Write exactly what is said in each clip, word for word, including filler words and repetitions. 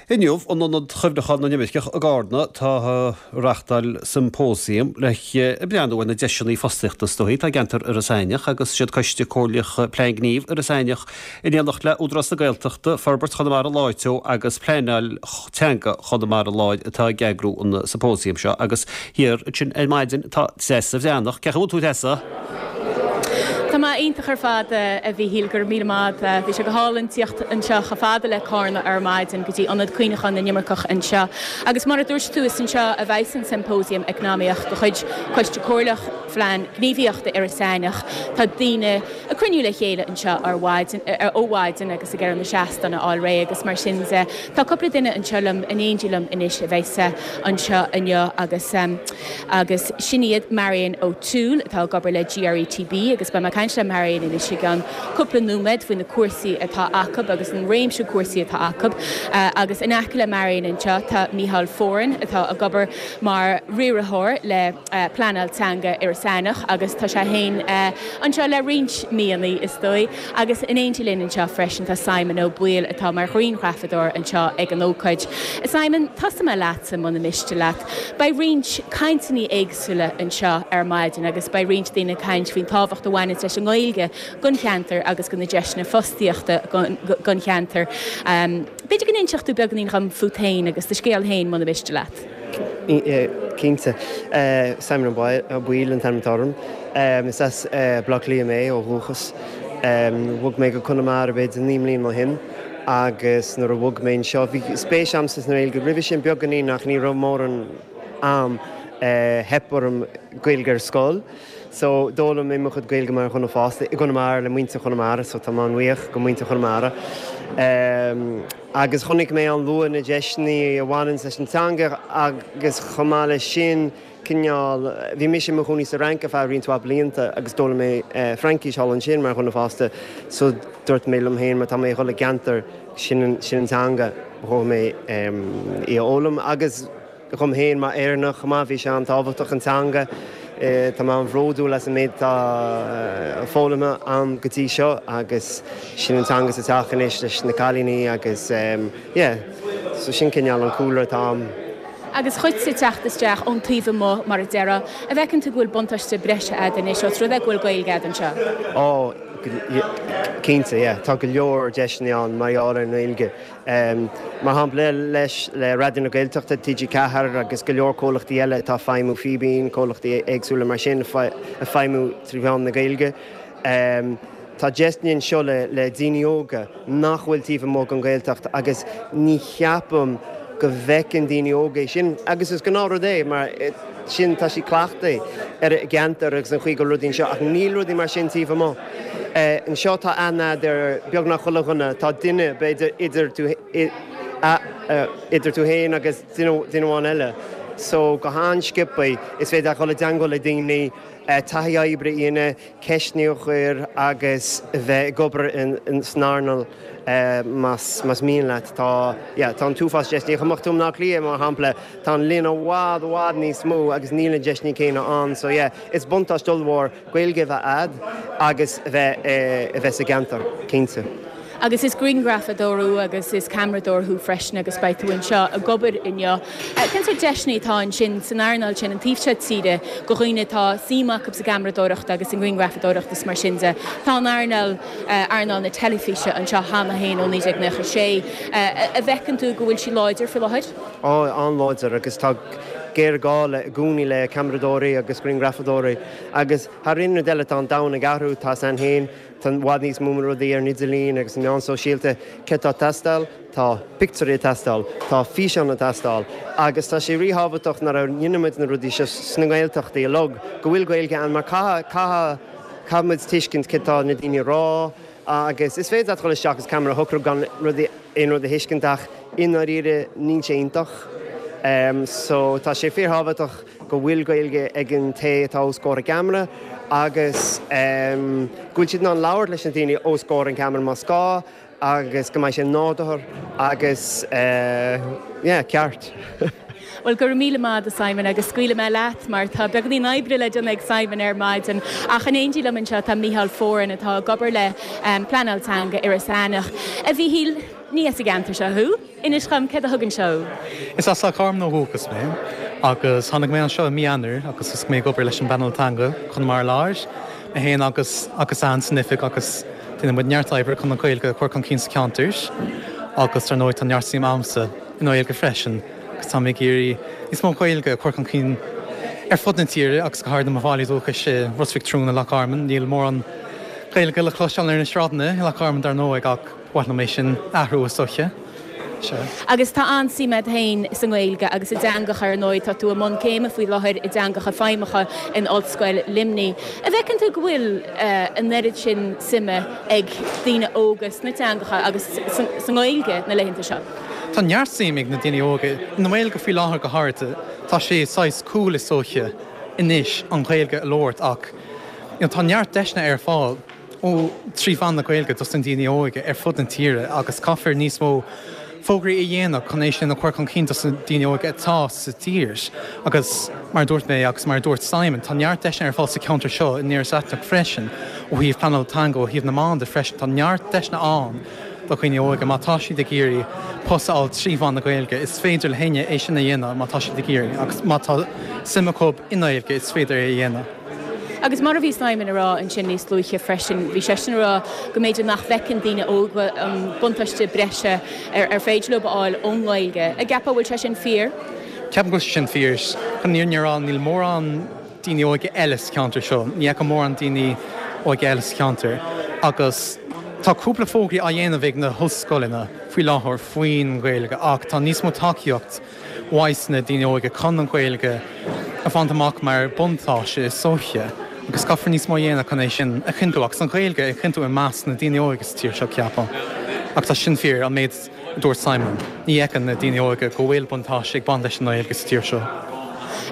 Inniu in Ionad Chuimhneacháin na nImirceach i gCarna tá reáchtáil symposium le breathnú ar na deiseanna fostaíochta is dóichí atá i gceantar Iorras Aithneach agus siad Coiste Comhairleach Plean Gnímh Iorras Aithneach in éineacht le Údarás na Gaeltachta, Forbairt Chonamara Láir Teo agus Pleanáil Teanga Chonamara Láir atá ag eagrú an symposium seo agus thiar ansin ar maidin tá Treasa Bhreathnach. Cén chaoi a bhfuil tú Treasa? Tá mé iontach ar fad a Mhíchíl go raibh míle maith. Bhí sé go hálainn tíocht anseo chomh fada le Carna ar maidin go dtí ionad cuimhneacháin na n-imirceach anseo. Agus mar a dúirt tú is anseo a bheidh an symposium eacnamaíoch de chuid Coiste Comhairleach Phlean Gníomhaíochta Iorras Aithneach. Tá daoine ag cruinniú le chéile anseo ar mhaidin ó mhaidin agus ag iarraidh na seastáin a fháil réidh agus mar sin de tá cúpla duine anseo liom in éindí liom anois a bheidh anseo inniu agus um, agus sin iad Marion O'Toole atá ag obair le GRETB agus beidh mé caint le Marion anois i gceann cúpla nóiméad faoi na cúrsaí atá acu agus an réimse cúrsaí atá acu uh, agus in aice le Marion anseo tá Michal Foran atá ag obair mar riarthóir le uh, pleanáil teanga Iorras Aithneach agus tá sé féin uh, anseo le roinnt míonna is dóigh agus in éindí linn anseo freisin tá Simon Ó Baoill atá mar ghrianghrafadóir anseo ag an ócáid. Simon tosóidh mé leatsa muna miste leat. Beidh roinnt cainteanna éagsúla anseo ar maidin agus beidh roinnt daoine caint faoin tábhacht a bhaineann leis an nGaeilge don cheantar agus do na deiseanna fostaíochta don cheantar. Um, B'fhéidir go n-inseodh tú beagáinín dhom fút féin agus do scéal féin muna miste leat. Cinnte Simon Ó Baoill an t-ainm atá orm. Is as Baile Átha Cliath mé ó dhúchas. Bhog mé go Conamara b'fhéidir naoi mbliana ó shin agus nuair a bhog mé anseo bhí spéis agam sa nGaeilge roimhe sin beagáinín ach ní raibh mórán am theip orm Gaeilge ar scoil. So d'fhoghlaim mé mo chuid Gaeilge mar dhuine fásta i gConamara le muintir Chonamara, so tá mé an-bhuíoch go muintir Chonamara. Um, agus chonaic mé an-luath na deiseanna a bhaineann leis an teanga agus chomh maith leis sin cineál bhí mise i mo chónaí sa Fhrainc ar feadh roinnt mhaith blianta agus d'fhoghlaim mé uh, Fraincis thall ansin mar dhuine fásta so dúirt mé liom féin mar tá mé ag dul i gceantar sin sin an teanga chomh mé um, í a fhoghlaim agus chum féin mar Éireannach má bhí sé an-tábhachtach an teanga Tá mé an-bhródúil as an méid atá foghlamtha agam go dtí seo agus sin an teanga sa teach anois leis na cailíní agus yeah, so sin cineál an cúlra atá agam. Agus dhuitse teacht isteach ón taobh amuigh mar a déarfá, an bhfeiceann tú go bhfuil buntáiste breise agat anois ós rud é go bhfuil Gaeilge agat anseo. Ó cinnte yeah, tá go leor deiseanna ann mar gheall ar an nGaeilge. Um, mar shampla leis le Raidió na Gaeltachta TG Ceathair agus go leor comhlachtaí eile atá feidhmiú Fíbín, comhlachtaí éagsúla mar sin a feidhmiú trí mheán na Gaeilge. Um, Tá deiseanna anseo le, le daoine óga nach bhfuil taobh amuigh den Ghaeltacht agus ní cheapaim go bhfeiceann daoine óga sin agus is gnáthrud é mar sin tá sí cleachtaithe ar an gceantar agus an chaoi go rudaí seo ach níl rudaí mar sin taobh amuigh. Anseo tá aithne ar beagnach chuile dhuine tá duine b'fhéidir idir tú idir tú féin agus duine amháin eile. So go han-sciobtha is féidir dul i dteagmháil le daoine taithí oibre a dhéanamh ceisteanna a chur agus bheith ag obair san earnáil más más mian leat tá tá an t-uafás deiseanna chomh maith le Cliath mar shampla tá an líon i bhfad i bhfad níos mó agus níl na deiseanna céanna ann so yeah, is buntáiste ollmhór Gaeilge bheith agat agus bheith a bheith sa gceantar cinnte. Agus is grianghrafadóir thú agus is ceamaradóir thú freisin agus beidh tú anseo ag obair inniu. Cén sórt deiseanna atá ansin san earnáil sin an taobh seo tíre do dhaoine atá suim acu sa gceamaradóireacht agus an ghrianghrafadóireacht is mar sin de. Tá an earnáil earnáil na teilifíse anseo cheana féin ó naoi déag nócha sé. An bhfeiceann tú go bhfuil sí láidir faoi láthair? Á an-láidir agus tá géarghá le i gcónaí le ceamaradóirí agus grianghrafadóirí agus thar aon rud eile tá an domhan ag athrú tá san féin Tá i bhfad níos mó rudaí ar an idirlíon agus na meáin sóisialta cé tá teastáil, tá pictiúirí teastáil, tá físeán teastáil, agus tá sé ríthábhachtach nuair a dhéanaimid na rudaí seo sna Gaeltachtaí uilig go bhfuil Gaeilge ann mar caithfidh caithfimid tuiscint cé tá na daoine rá agus is féidir dul isteach is ceamara a shocrú gan rudaí aon rud a thuiscint ach i ndáiríre níl sé iontach. Um, so tá sé fíorthábhachtach go bhfuil Gaeilge ag an té atá os comhair an cheamara agus um, go bhfuil siad in ann labhairt leis na daoine os comhair an cheamara más gá agus go mbeidh sé nádúrtha agus uh, yeah, ceart. Well go míle maith Simon agus scaoilfidh mé leat mar tá beagáinín oibre le déanamh ag Simon ar maidin ach in éindí liom anseo tá Michal Foran atá ag obair le um, pleanáil teanga Iorras Aithneach. A Mhíchíl ní as an gceantar seo thú. Inis dhom céard a thug anseo. Is as Loch Garman ó dhúchas mé agus tháinig mé anseo mí Eanáir agus is mé ag obair leis an bpleanáil teanga Conamara Láir mé féin agus agus an san oifig agus déanann muid neart oibre chun an Ghaeilge a chur chun cinn sa cheantar agus ar ndóigh tá neart suim agamsa i nGaeilge freisin agus tá mé ag iarraidh níos mó Gaeilge a chur chun cinn ar fud na tíre agus go háirithe i mo bhaile dúchais i Ros Mhic Thriúin i Loch Garman níl mórán Gaeilge le cloisteáil ar na sráideanna i Loch Garman dar ndóigh ach ba mhaith liom é sin a athrú is dócha. Agus tá an-suim agat féin sa nGaeilge agus i dteangacha ar ndóigh tá tú i mbun céime faoi láthair i dteangacha feidhmeacha in Ollscoil Luimnigh. An bhfeiceann tú go bhfuil an oiread sin suime ag daoine óga sna teangacha agus sa nGaeilge na laethanta seo? Tá neart suim ag na daoine óga i nGaeilge faoi láthair go háirithe. Tá sé saghas cool is dócha anois an Ghaeilge a labhairt ach you know, tá neart deiseanna ar fáil ó trí mheán na Gaeilge dos na daoine óga ar fud na tíre agus caithfear níos mó fógraí a dhéanamh chun é sin a chur chun cinn dos na daoine óga atá sa tír agus mar dúirt mé agus mar dúirt Simon tá neart deiseanna ar fáil sa cheantar seo in Iorras Aithneach freisin ó thaobh pleanáil teanga ó thaobh na meán de freisin tá neart deiseanna ann do dhaoine óga má tá siad ag iarraidh post a fháil trí mheán na Gaeilge is féidir le héinne é sin a dhéanamh má tá siad ag iarraidh agus má tá suim acu i nGaeilge is féidir é a dhéanamh. Agus mar a bhí Simon ag rá ansin níos luaithe freisin, bhí sé sin ag rá go mb'fhéidir nach bhfeiceann daoine óga an buntáiste breise ar ar féidir leo a fháil ón nGaeilge. An gceapfá bhfuil sé sin fíor? Ceapaim go bhfuil sé sin fíor chun an fhírinne a rá níl mórán daoine óga eile sa cheantar seo, ní fheicim mórán daoine óga eile sa cheantar agus tá cúpla fógraí á dhéanamh ag na hollscoileanna faoi láthair faoin Ghaeilge ach tá níos mó tacaíocht uaidh na daoine óga chun an Ghaeilge a bhaint amach mar buntáiste is dócha agus caithfear níos mó a dhéanamh chun é sin a chinntiú agus an Ghaeilge a chinntiú i measc na daoine óga sa tír seo ceapaim. Ach tá sin fíor an méid a dúirt Simon. Ní fheiceann na daoine óga go bhfuil buntáiste ag baint leis an Ghaeilge sa tír seo.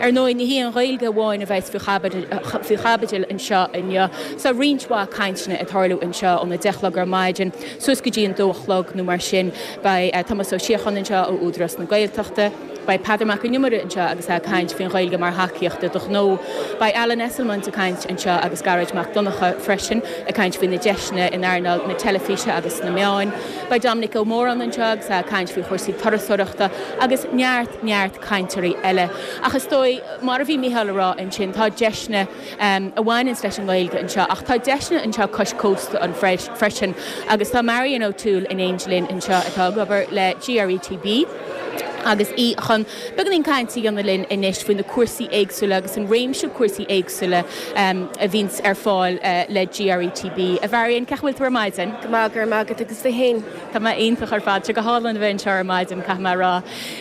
Ar ndóigh ní hí an Ghaeilge amháin a bheas faoi chaibidil anseo inniu, Tá roinnt mhaith cainteanna ag tarlú anseo óna deich a chlog ar maidin, suas go dtí an dó a chlog nó mar sin beidh Tomás Ó Síocháin anseo ó Údarás na Gaeltachta. Beidh Peadar Mac an Iomaire anseo agus é ag caint faoin Ghaeilge mar thacaíocht do ghnó. Beidh Alan Esslemont ag caint anseo agus Gearóid Mac Donncha freisin ag caint faoi na deiseanna in earnáil na teilifíse agus na meáin. Beidh Dominic Ó Móráin anseo agus é ag caint faoi chúrsaí turasóireachta agus neart neart cainteoirí eile. Ach is dóigh mar a bhí Mícheál ag rá ansin tá deiseanna um, a bhaineann leis an Ghaeilge anseo ach tá deiseanna anseo cois cósta an freisin agus tá Marion O'Toole in éindí linn anseo atá ag obair le GRETB. agus í chun beagáinín cainte a dhéanamh linn anois faoi na cúrsaí éagsúla agus an réimse cúrsaí éagsúla um, a bhíonns ar fáil uh, le GRETB. A Mharion cén chaoi a bhfuil tú ar maidin? Go maith go raibh maith agat agus tú féin. Tá mé iontach ar fad go hálainn a bheith anseo ar maidin caithfidh mé a rá.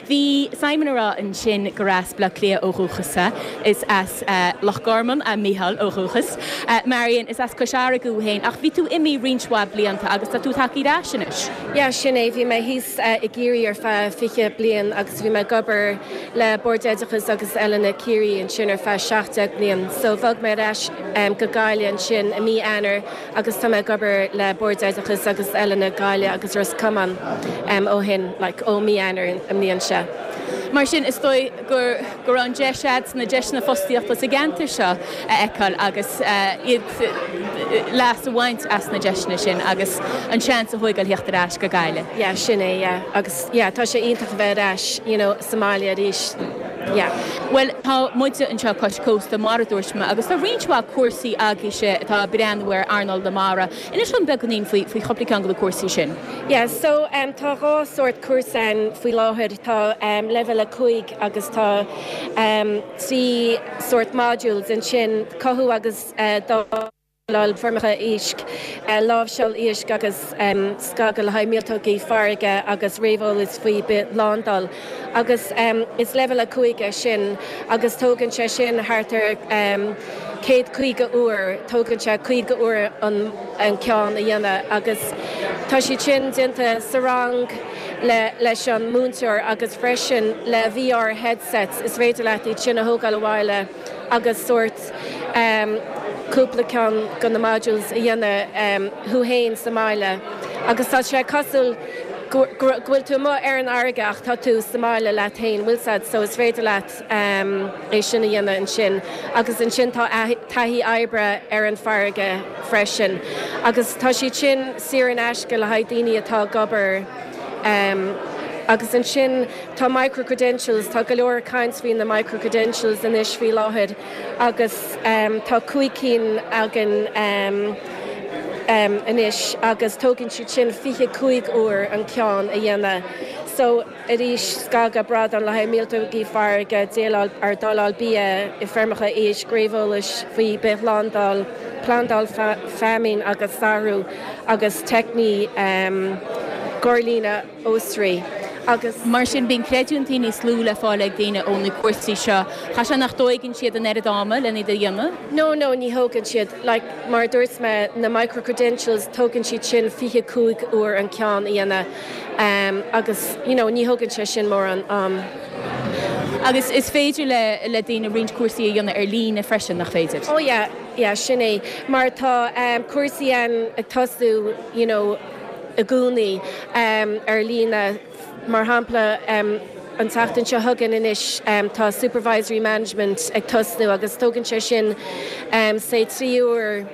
Bhí Simon ag rá ansin gur as Baile Átha Cliath ó dhúchas is as uh, Loch Garman a Mícheál ó dhúchas. Uh, Marion is as Cois Fharraige thú féin ach bhí tú imithe roinnt mhaith blianta agus tá tú tagtha ar ais anois. Ja sin é bhí mé thíos uh, i gCiarraí ar feadh fiche bliain agus bhí mé ag obair le Bord Oideachais agus Oiliúna Chiarraí ansin ar feadh seacht bliain. So bhog mé ar ais um, go Gaillimh ansin i mí Eanáir agus tá mé ag obair le Bord Oideachais agus Oiliúna Gaillimh agus Ros Comáin um, ó shin like, ó mí Eanáir an mbliain seo. Mar sin is dóigh gur gur an deis na deiseanna fostaíochta sa gceantar seo a fheiceáil agus iad leas a bhaint as na deiseanna sin agus an seans a thógáil theacht ar ais go Gaillimh. Ja sin é yeah. agus yeah, tá sé iontach bheith ar ais you know, sa mbaile arís. Yeah. Well tá muide anseo cois cósta mar a dúirt mé agus tá roinnt mhaith cúrsaí agaibhse atá ag breathnú ar earnáil na mara. Inis dom beagáinín faoi faoi chúpla ceann de na cúrsaí sin. Yeah, so um, tá dhá sórt cúrsa faoi láthair tá um, leibhéal a cúig agus tá um, trí sórt modules ansin cothú agus uh, dáileadh feirmeacha éisc, uh, láimhseáil éisc agus um, scagadh le haghaidh míoltógaí farraige agus réamheolas faoi bithshlándáil. Agus um, is leibhéal a cúig é sin agus tógann sé sin thart ar um, céad caoga uair tógann sé caoga uair an, an ceann a dhéanamh agus tá sé sin déanta sa rang le leis an múinteoir agus freisin le VR headsets is féidir leat iad sin a thógáil abhaile agus sórt um, cúpla ceann de na modules a dhéanamh um, thú féin sa mbaile. Agus tá sé cosúil go bhfuil tú amuigh ar an fharraige ach tá tú sa mbaile leat féin bhfuil so is féidir leat um, é sin a dhéanamh ansin. agus ansin tá taithí oibre ar an farraige freisin. Agus tá siad sin saor in aisce le haghaidh daoine atá ag obair Um, agus ansin tá microcredentials tá go leor caint faoi na microcredentials anois faoi láthair agus um, tá cúig cinn againn um, um, anois agus tógann siad sin fiche cúig uair an ceann a dhéanamh. So arís scagadh bradán le haghaidh míoltógaí farraige déileáil ar dháileadh bia i bhfeirmeacha éisc réamheolas faoi bithshlándáil, plandáil feamainn agus saothrú agus teicnící um, gorlíonadh ostair. Agus mar sin bíonn creidiúintí níos lú le fáil ag daoine ó na cúrsaí seo. Cha sé nach dtógann siad an oiread ama lena iad a dhéanamh? No no ní thógann siad like, mar dúirt mé na microcredentials tógann siad sin fiche cúig uair an ceann a dhéanamh um, agus you know, ní thógann sé sin mórán um, Agus is féidir le le daoine roinnt cúrsaí a dhéanamh ar líne freisin nach féidir. Oh yeah, yeah, sin é mar tá um, cúrsaí an ag tosú you know, i gcónaí um, ar líne mar shampla um, an tseachtain seo chugainn anois um, tá supervisory management ag tosnú agus tógann sé sin um, sé trí uair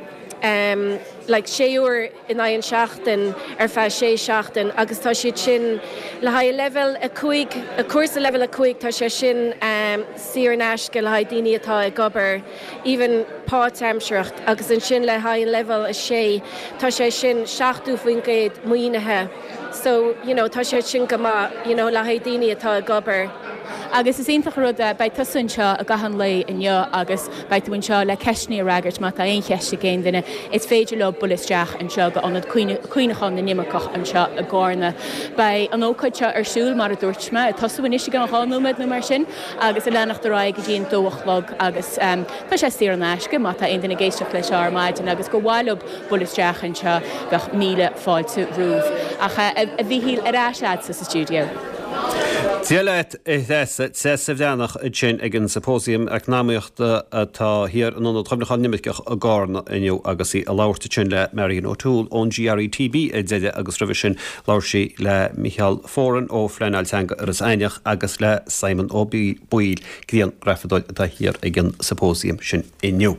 um, like sé uair in aghaidh an seachtain ar feadh sé seachtain agus tá siad sin le haghaidh level a cúig a cúrsa level a cúig tá sé sin um, saor in aisce le haghaidh daoine atá ag obair even páirtaimseartha agus ansin le haghaidh level a sé tá sé sin seachtó faoin gcéad maoinithe. So you know, tá sé sin go maith you know, le haghaidh daoine atá ag obair. Agus is iontach rud beidh tusa anseo i gcaitheamh an lae inniu agus beidh tú anseo le ceisteanna a fhreagairt má tá aon cheist ag aon duine is féidir leo bualadh isteach anseo go ionad cuimhneacháin na n-imirceach anseo i gCarna. Beidh an ócáid seo ar siúl mar a dúirt mé, tosú anois ag an dhá nóiméad nó mar sin agus ag leanacht ar aghaidh go dtí an dó a chlog agus um, tá sé saor in aisce má tá aon duine ag éisteacht leis ar maidin agus gur mhaith leo bualadh isteach anseo bheadh míle fáilte romhaibh. Ach a Mhíchíl ar ais sa studio. Dia leat a Threasa Treasa Bhreathnach ansin ag an Symposium Eacnamaíochta atá thiar in Ionad Cuimhneacháin na nImirceach i gCarna inniu agus í ag labhairt ansin le Marion O'Toole ón GRETB ar deireadh agus roimhe sin labhair sí le Micheál Foran ó Phleanáil Teanga Iorras Aithneach agus le Simon Ó Baoill grianghrafadóir atá thiar ag an Symposium sin inniu.